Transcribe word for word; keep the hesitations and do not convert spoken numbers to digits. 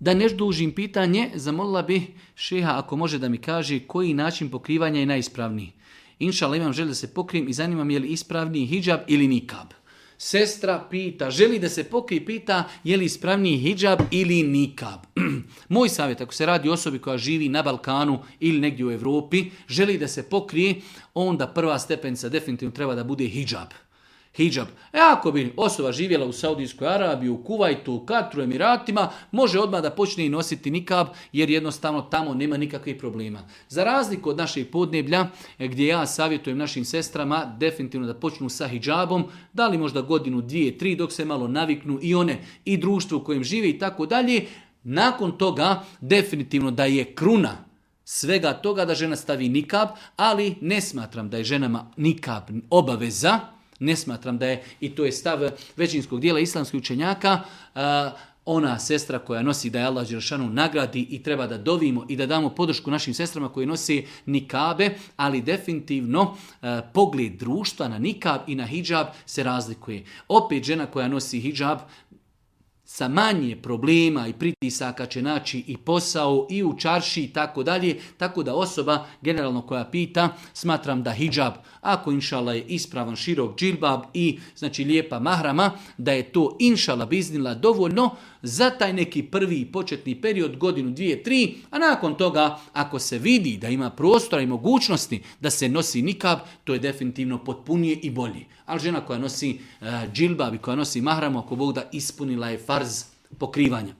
Da ne dužim pitanje, zamolila bih šeha ako može da mi kaže koji način pokrivanja je najispravniji. Inšala imam želju da se pokrijem i zanima me je li ispravniji hidžab ili nikab. Sestra pita, želi da se pokrije, pita je li ispravniji hidžab ili nikab. Moj savjet, ako se radi o osobi koja živi na Balkanu ili negdje u Europi, želi da se pokrije, onda prva stepenica definitivno treba da bude hidžab. Hidžab. E ako bi osoba živjela u Saudijskoj Arabiji, u Kuvajtu, u Katru, Emiratima, može odmah da počne i nositi nikab, jer jednostavno tamo nema nikakvih problema. Za razliku od naših podneblja, gdje ja savjetujem našim sestrama definitivno da počnu sa hidžabom, da li možda godinu, dvije, tri, dok se malo naviknu i one i društvo u kojem žive i tako dalje, nakon toga definitivno da je kruna svega toga da žena stavi nikab, ali ne smatram da je ženama nikab obaveza. Ne smatram da je, i to je stav većinskog dijela islamskih učenjaka, ona sestra koja nosi da je Allah dželešanu nagradi i treba da dovimo i da damo podršku našim sestrama koji nosi nikabe, ali definitivno pogled društva na nikab i na hidžab se razlikuje. Opet žena koja nosi hidžab sa manje problema i pritisaka će naći i posao i u čarši i tako dalje, tako da osoba generalno koja pita, smatram da hidžab, ako inšala je ispravan širok džilbab i znači lijepa mahrama, da je to inšala biznila dovoljno za taj neki prvi početni period, godinu, dvije, tri, a nakon toga ako se vidi da ima prostora i mogućnosti da se nosi nikab, to je definitivno potpunije i bolje. Ali žena koja nosi uh, džilbab i koja nosi mahramu, ako Bog da, ispunila je farz pokrivanja.